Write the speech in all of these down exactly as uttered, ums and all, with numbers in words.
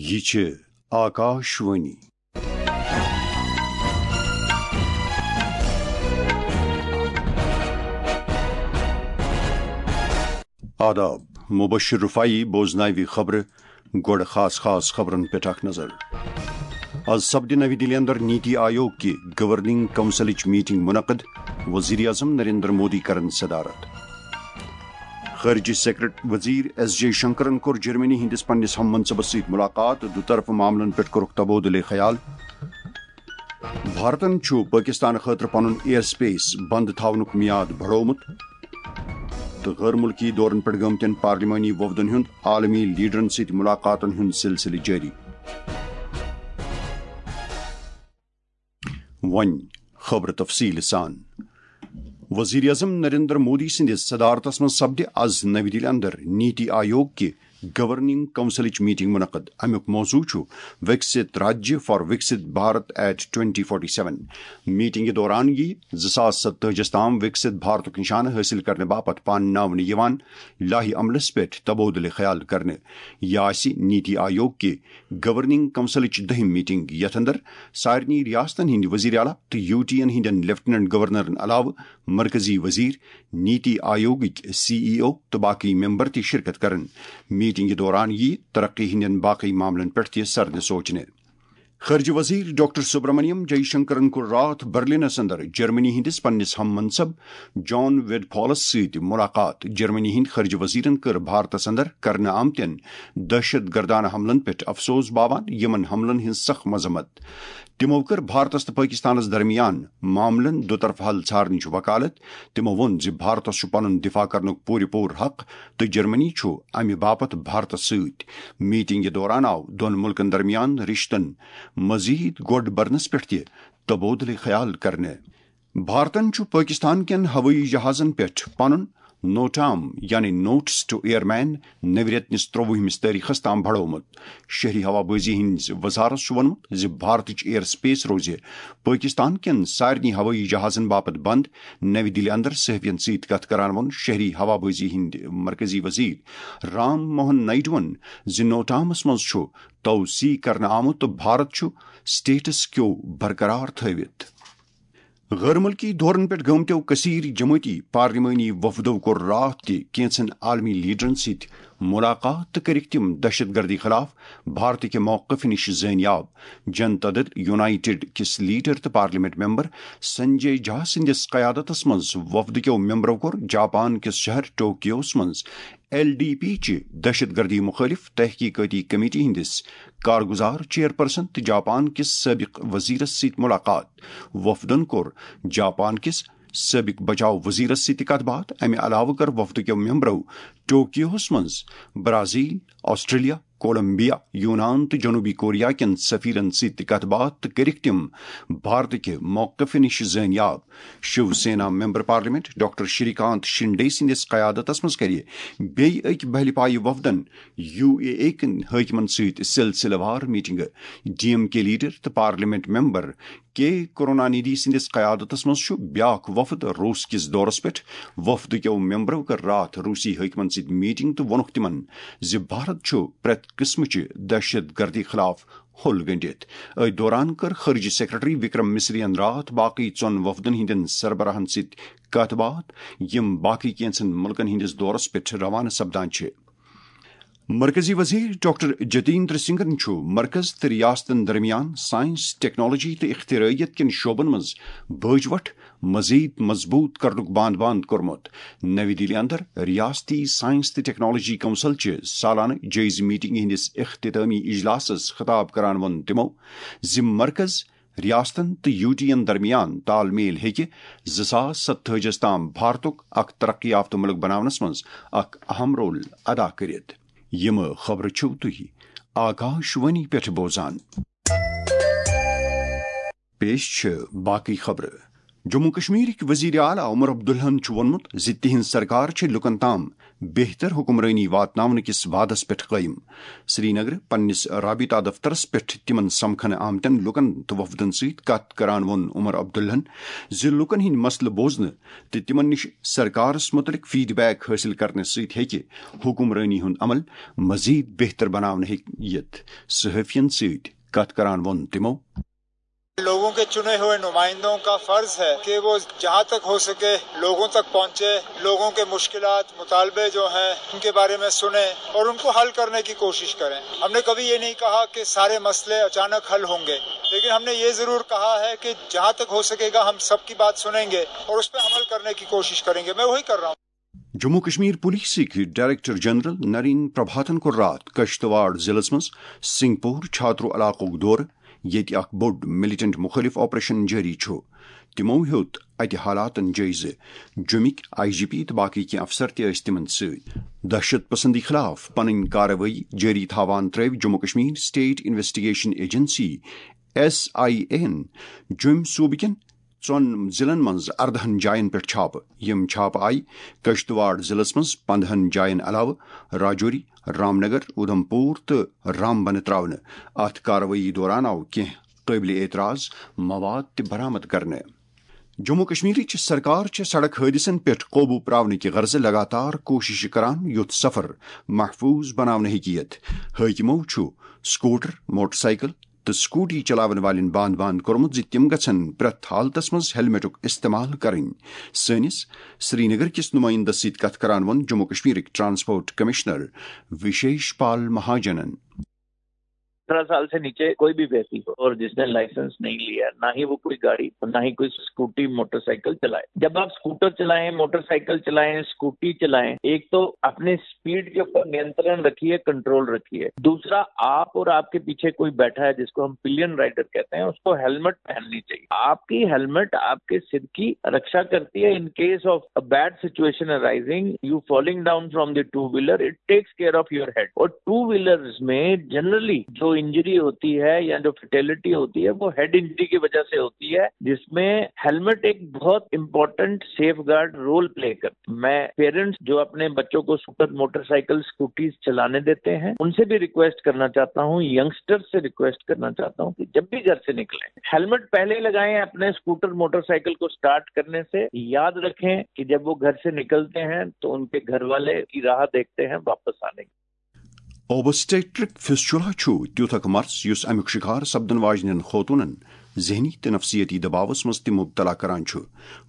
یہِ چھِ آکاشوانی۔ آداب، مبشر رفاعی بوزناوِ خبرٕ۔ گۄڈٕ خاص خاص خبرن پٮ۪ٹھ اکھ نظر۔ از سپدِ نوی دِلہِ اندر نیتی آیوگ کہِ گورننگ کونسلٕچ میٹنگ منعقد، وزیر اعظم نریندر مودی کرن صدارت۔ خارجہ سیکرٹری وزیر ایس جے شنکرن کوٚر جرمنی ہٕنٛدِس پننِس ہم منصبس سۭتۍ ملاقات، دُطرفہٕ معاملن پٮ۪ٹھ کوٚرُکھ تبادلہ خیال۔ بھارتن چھُ پٲکستان خٲطرٕ پنُن ایئر سپیس بند تھاونُک میعاد بڑومُت۔ تہٕ غٲر مُلکی دورن پٮ۪ٹھ گٲمتٮ۪ن پارلیمانی وفدن ہُنٛد عالمی لیڈرن سۭتۍ ملاقاتن ہُنٛد سلسلہٕ جٲری۔ وۄنۍ خبرٕ تفصیٖل سان۔ وزیر اعظم نریندر مودی سٕنٛدِس صدارتس منٛز سپدِ از نوی دِلہِ اندر نیتی آیوگ کہِ گورننگ کونسلٕچ میٹنگ منعقد۔ امیُک موضوع چھُ Viksit Rajya for Viksit Bharat at twenty forty seven. میٹنگہِ دوران یِیہِ زٕ ساس ستٲجِس تام وکست بھارتُک نشانہٕ حٲصِل کرنہٕ باپتھ پانناونہٕ یِوان لایحہ عملس پٮ۪ٹھ تبادلہ خیال کرنہٕ۔ یہِ آسہِ نیتی آیوگ کہِ گورننگ کونسلٕچ دٔہِم میٹنگ، یتھ اندر سارنٕے ریاستن ہٕنٛدۍ وزیر اعلیٰ تہٕ یوٗ ٹی ین ہٕنٛدٮ۪ن لیفٹیننٹ گورنرن علاوٕ مرکزی وزیر، نیتی آیوگٕکۍ سی ای او تہٕ باقی ممبر تہِ شرکت کرن۔ میٹنگہِ دوران یِیہِ ترقی ہٕنٛدٮ۪ن باقی معاملن پٮ۪ٹھ تہِ سرنہٕ سوچنہٕ۔ خارجہ وزیر ڈاکٹر سبرامنیم جے شنکرن کوٚر راتھ برلنس اندر جرمنی ہٕنٛدِس پننِس ہم منصب جان ویڈ پالس سۭتۍ ملاقات۔ جرمنی ہٕنٛدۍ خارجہ وزیرن کٔر بھارتس اندر کرنہٕ آمتٮ۪ن دہشت گردانہ حملن پٮ۪ٹھ افسوس باوان یِمن حملن ہٕنٛز سخ مذمت۔ تِمو کٔر بھارتس تہٕ پٲکستانس درمیان معاملن دُطرفہٕ حل ژھارنٕچ وکالت۔ تِمو ووٚن زِ بھارتس چھُ پنُن دفاع کرنُک پوٗرٕ پوٗرٕ حق تہٕ جرمنی چھُ امہِ باپتھ بھارتس سۭتۍ۔ میٹنگہِ دوران آو دۄن مُلکن درمیان رشتن مزید گۄڈ برنس پٮ۪ٹھ تہِ تبادلہ خیال کرنہٕ۔ بھارتن چھُ پٲکستان کٮ۪ن ہوٲیی جہازن پٮ۪ٹھ پنُن نوٹام یعنی نوٹس ٹو ایئر مین نوِ رٮ۪تہٕ نِس ترٛۆوُہمِس تٲریخس تام بڑومُت۔ شہری ہوا بازی ہٕنٛدِ وزارت چھُ ووٚنمُت زِ بھارتٕچ ایئر سپیس روزِ پٲکستان کٮ۪ن سارنٕے ہوٲیی جہازن باپتھ بند۔ نوِ دِلہِ اندر صحافین سۭتۍ کتھ کران ووٚن شہری ہوا بازی ہٕنٛدۍ مرکزی وزیر رام موہن نائیڈوَن زِ نوٹامس منٛز چھُ توسیع کرنہٕ آمُت تہٕ بھارت چھُ سٹیٹس کیو برقرار تھٲوِتھ۔ غٲر مُلکی دورن پٮ۪ٹھ گٲمتیو کثیر جمٲعتی پارلیمانی وفدو کوٚر راتھ تہِ کینژن عالمی لیڈرن سۭتۍ ملاقات تہٕ کٔرِکھ تِم دہشت گردی خلاف بھارتٕکہِ موقف نِش زٲنیاب۔ جنتا دل یونائیٹڈ کِس لیڈر تہٕ پارلیمنٹ ممبر سنجے جھا سٕنٛدِس قیادتس منٛز وفدٕکیو ممبرو کوٚر جاپان کِس شہر ٹوکیوس منٛز ایل ڈی پی چہِ دہشت گردی مخٲلف تحقیقاتی کمیٹی ہٕنٛدِس کارگزار چیئرپرسن تہٕ جاپان کِس سٲبق وزیرس سۭتۍ ملاقات۔ وفدن کوٚر جاپان کِس سٲبق بچاو وزیرس سۭتۍ تہِ کتھ باتھ۔ امہِ علاوٕ کٔر وفدٕکیو ممبرو ٹوکیوہس منٛز برازیل، آسٹریلیا، کولمبیا، یونان تہٕ جنوبی کوریا کٮ۪ن سفیرن سۭتۍ تہِ کتھ باتھ تہٕ کٔرِکھ تِم بھارتٕکہِ موقف نِش زٲنیاب۔ Shiv Sena member parliament doctor Shri کانت شنڈے سٕنٛدِس قیادتس منٛز کرِ بیٚیہِ أکۍ بہلہِ پایہِ وفدن یو اے اے کٮ۪ن حٲکمن سۭتۍ سلسلہٕ وار میٹنگہٕ۔ ڈی ایم کے لیڈر تہٕ پارلیمنٹ ممبر کے کرونانیدھی سٕنٛدِس قیادتس منٛز چھُ بیاکھ وفد روس کِس دورس پٮ۪ٹھ۔ وفدٕکیو ممبرو کٔر راتھ روسی حٲکمن سۭتۍ میٹنگ تہٕ ووٚنُکھ تِمن زِ بھارت چھُ پرٛٮ۪تھ قٕسمٕچہِ دہشت گردی خلاف ہوٚل گٔنٛڈِتھ۔ أتھۍ دوران کٔر خارجہ سیکرٹری وکرم مصریَن راتھ باقٕے ژۄن وفدن ہٕنٛدٮ۪ن سربراہن سۭتۍ کتھ باتھ، یِم باقٕے کینٛژن مُلکن ہٕنٛدِس دورس پٮ۪ٹھ روانہٕ سپدان چھِ۔ مرکزی وزیر ڈاکٹر جتیندر سنگھن چھُ مرکز تہٕ ریاستن درمیان سائنس، ٹیکنالوجی تہٕ اختراعیت کٮ۪ن شعبن منٛز بٲجوٹھ مزید مضبوط کرنُک باند باند کوٚرمُت۔ نوی دِلہِ اندر ریاستی سائنس تہٕ ٹیکنالوجی کونسل چہِ سالانہٕ جٲیزٕ میٹنگہِ ہٕنٛدِس اختتامی اجلاسس خطاب کران ووٚن تِمو زِ مرکز، ریاستن تہٕ یو ٹی ین درمیان تال میل ہیٚکہِ زٕ ساس ستٲجِس تام بھارتُک اکھ ترقی یافتہٕ مُلک بناونس منٛز اکھ اہم رول ادا کٔرِتھ۔ یِم خبرٕ چھِو تُہۍ آکاش وانی پٮ۪ٹھ بوزان۔ پیش چھِ باقٕے خبرٕ۔ جموں کشمیرٕکۍ وزیر اعلیٰ عمر عبداللہن چھُ ووٚنمُت زِ تِہنٛز سرکار چھِ لُکن تام بہتر حکمرٲنی واتناونہٕ کِس وعدس پٮ۪ٹھ قٲیِم۔ سرینگرٕ پننِس رابطہ دفترس پٮ۪ٹھ تِمن سمکھنہٕ آمتٮ۪ن لوٗکن تہٕ وفدن سۭتۍ کتھ کران ووٚن عمر عبداللہن زِ لوٗکن ہٕنٛدۍ مسلہٕ بوزنہٕ تہٕ تِمن نِش سرکارس مُتعلق فیڈ بیک حٲصِل کرنہٕ سۭتۍ ہیٚکہِ حکمرٲنی ہُنٛد عمل مزید بہتر بناونہٕ ہیٚکہِ یِتھ۔ صحافین سۭتۍ کتھ کران ووٚن تِمو۔ لوگوں کے چنے ہوئے نمائندوں کا فرض ہے کہ وہ جہاں تک ہو سکے لوگوں تک پہنچے، لوگوں کے مشکلات، مطالبے جو ہیں، ان کے بارے میں سنیں اور ان کو حل کرنے کی کوشش کریں۔ ہم نے کبھی یہ نہیں کہا کہ سارے مسئلے اچانک حل ہوں گے، لیکن ہم نے یہ ضرور کہا ہے کہ جہاں تک ہو سکے گا ہم سب کی بات سنیں گے اور اس پہ عمل کرنے کی کوشش کریں گے۔ میں وہی کر رہا ہوں۔ جموں کشمیر پولیسٕکۍ ڈائریکٹر جنرل نرین پربھاتن کوٚر راتھ کشتواڑ ضلعس منٛز سنگھ پور چھاترو علاقُک دورٕ، ییٚتہِ اکھ بوٚڑ ملیٹنٹ مخٲلف آپریشن جٲری چھُ۔ تِمو ہیوٚت اتہِ حالاتن جٲیزٕ۔ جوٚمِکۍ آئی جی پی تہٕ باقٕے کینٛہہ افسر تہِ ٲسۍ تِمن سۭتۍ۔ دہشت پسندی خلاف پنٕنۍ کاروٲیی جٲری تھاوان ترٲوۍ Jammu Kashmir state investigation agency, S I A ہن، جوٚمۍ صوبہٕ کٮ۪ن ژۄن ضلعن منٛز اردہن جاین پٮ۪ٹھ چھاپہٕ۔ یِم چھاپہٕ آیہِ کشتواڑ ضلعس منٛز پندہن جاین علاوٕ راجوری، رامنگر، اودھمپور تہٕ رامبن تراونہٕ۔ اتھ کاروٲیی دوران آو کینٛہہ قٲبلِ اعتراض مواد تہِ برآمد کرنہٕ۔ جموں کشمیرٕچ سرکار چھےٚ سڑک حٲدثن پٮ۪ٹھ قوبوٗ پراونہٕ کہِ غرضہٕ لگاتار کوٗشش کران، یُتھ سفر محفوظ بناونہٕ ہیٚکہِ یِتھ۔ حٲکمو چھُ سکوٹر، موٹر سائیکل تہٕ سکوٹی چلاون والٮ۪ن باند باند کوٚرمُت زِ تِم گژھن پرٛٮ۪تھ حالتس منٛز ہیلمٹُک استعمال کرٕنۍ۔ سٲنِس سرینگر کِس نُمٲیندس سۭتۍ کتھ کران ووٚن جموں کشمیرٕکۍ ٹرانسپورٹ کمشنر وشیش پال مہاجنن۔ اٹھارہ سال سے نیچے کوئی بھی ویکتی ہو اور جس نے لائسنس نہیں لیا، نہ ہی وہ کوئی گاڑی، نہ ہی کوئی اسکوٹی، موٹر سائیکل چلائے۔ جب آپ اسکوٹر چلائیں، موٹر سائیکل چلائیں، اسکوٹی چلائیں، ایک تو اپنے اسپیڈ کے اوپر نینترن رکھیے، کنٹرول رکھیے۔ دوسرا، آپ اور آپ کے پیچھے کوئی بیٹھا ہے جس کو ہم پلین رائڈر کہتے ہیں، اس کو ہیلمٹ پہننی چاہیے۔ آپ کی ہیلمٹ آپ کے سر کی رکشا کرتی ہے۔ In case of a bad situation arising, you falling down from the two wheeler, it takes care of your head. اور ٹو ویلرز میں جنرلی جو انجری ہوتی ہے یا جو فیٹیلٹی ہوتی ہے، وہ ہیڈ انجری کی وجہ سے ہوتی ہے، جس میں ہیلمٹ ایک بہت important safeguard role play کرتا ہے۔ میں پیرنٹس جو اپنے بچوں کو اسکوٹر، موٹر سائیکل، اسکوٹیز چلانے دیتے ہیں، ان سے بھی ریکویسٹ کرنا چاہتا ہوں، ینگسٹر سے ریکویسٹ کرنا چاہتا ہوں کہ جب بھی گھر سے نکلیں، ہیلمٹ پہلے لگائیں، اپنے اسکوٹر، موٹر سائیکل کو اسٹارٹ کرنے سے۔ یاد رکھیں کہ جب وہ گھر سے نکلتے ہیں تو ان کے گھر والے کی راہ دیکھتے ہیں واپس آنے کی۔ اوبسٹیٹرک فسچولا چھُ تیُتھ اکھ مرض یُس امیُک شکار سپدن واجنٮ۪ن خوتونن ذہنی تہٕ نفسیٲتی دباوس منٛز تہِ مبتلا کران چھُ۔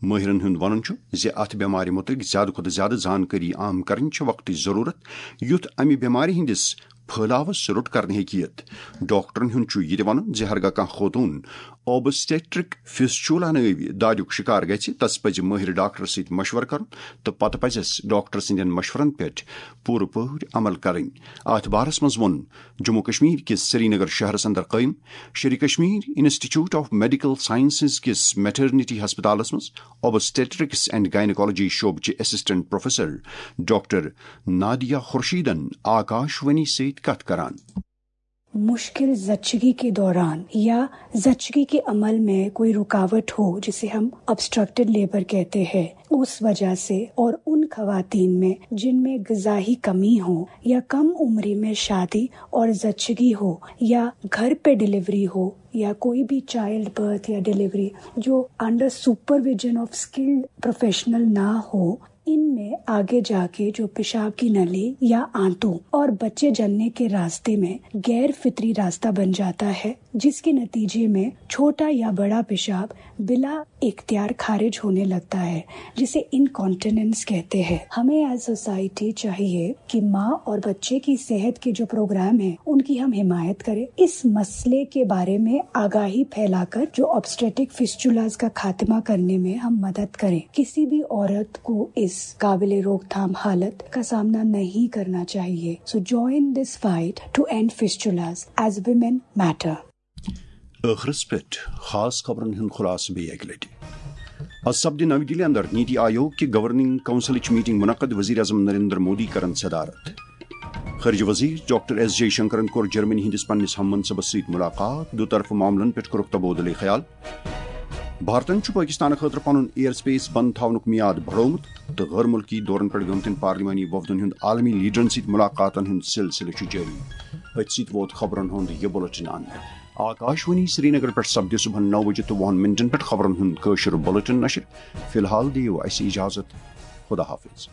مٲہرن ہُنٛد وَنُن چھُ زِ اَتھ بٮ۪مارِ مُتعلِق زِیٛادٕ کھۄتہٕ زِیٛادٕ زانٛکٲری عام کرٕنۍ چھِ وقتٕچ ضروٗرت، یُتھ اَمہِ بٮ۪مارِ ہٕنٛدِس پھٲلاوس روٚٹ کرنہٕ ہیٚکہِ یِتھ۔ ڈاکٹرن ہُنٛد چھُ یہِ تہِ وَنُن زِ ہرگاہ کانٛہہ خوتوٗن اوبسٹیٹرک فسچولا نٲوۍ دادیُک شِکار گژھِ، تس پزِ مٲہِر ڈاکٹرس سۭتۍ مشورٕ کرُن تہٕ پتہٕ پزٮ۪س ڈاکٹر سٕنٛدٮ۪ن مشورن پٮ۪ٹھ پوٗرٕ پٲٹھۍ عمل کرٕنۍ۔ اَتھ بارس منٛز ووٚن جموں کشمیر کِس سرینگر شہرس اندر قٲیِم Sher e Kashmir institute of medical sciences کِس میٹرنٹی ہسپتالس منٛز اوبسٹیٹرکس اینڈ گائنیکالوجی شعبہٕ چہِ اسسٹنٹ پروفیسر ڈاکٹر نادیہ خورشیدن آکاش وانی سۭتۍ کتھ کران۔ مشکل زچگی کے دوران یا زچگی کے عمل میں کوئی رکاوٹ ہو، جسے ہم آبسٹرکٹڈ لیبر کہتے ہیں، اس وجہ سے، اور ان خواتین میں جن میں غذائی کمی ہو یا کم عمری میں شادی اور زچگی ہو یا گھر پہ ڈلیوری ہو یا کوئی بھی چائلڈ برتھ یا ڈلیوری جو under supervision of skilled professional نہ ہو، ان میں آگے جا کے جو پیشاب کی نلی یا آنتوں اور بچے جننے کے راستے میں غیر فطری راستہ بن جاتا ہے، جس کے نتیجے میں چھوٹا یا بڑا پیشاب بلا اختیار خارج ہونے لگتا ہے، جسے انکانٹیننس کہتے ہیں۔ ہمیں ایز سوسائٹی چاہیے کہ ماں اور بچے کی صحت کے جو پروگرام ہیں، ان کی ہم حمایت کریں، اس مسئلے کے بارے میں آگاہی پھیلا کر جو آبسٹریٹک فسچولاز کا خاتمہ کرنے میں ہم مدد کریں۔ کسی بھی عورت کو اس قابل روک تھام حالت کا سامنا نہیں کرنا چاہیے۔ So join this fight to end fistulas as women matter. ٲخرس پٮ۪ٹھ خاص خبرن ہُنٛد خلاصہٕ بیٚیہِ اَکہِ لٹہِ۔ از سپدِ نَوِ دِلہِ اندر نیتی آیوگ کہِ گورننگ کونسلٕچ میٹنگ منعقد، وزیر اعظم نریندر مودی کرن صدارت۔ خارجہ وزیر ڈاکٹر ایس جے شنکرن کوٚر جرمنی ہٕنٛدِس پننِس ہم منصبس سۭتۍ ملاقات، دو طرفہٕ معاملن پٮ۪ٹھ کوٚرُکھ تبادلہ خیال۔ بھارتن چھُ پٲکِستان خٲطرٕ پنُن ایئر سپیس بند تھاونُک میعاد بڑومُت تہٕ غٲر مُلکی دورن پٮ۪ٹھ گٔمتٮ۪ن پارلیمانی وفدن ہُنٛد عالمی لیڈرن سۭتۍ ملاقاتن ہُنٛد سلسلہٕ چھُ جٲری۔ أتھۍ سۭتۍ ووت خبرن ہُنٛد یہِ بُلٹن انت۔ آکاش وانی سرینگر پٮ۪ٹھ سپدِ صبحن نو بجے تہٕ وُہن منٹن پٮ۪ٹھ خبرن ہُنٛد کٲشُر بُلٹن نشر۔ فی الحال دِیِو اَسہِ اجازت۔ خدا حافظ۔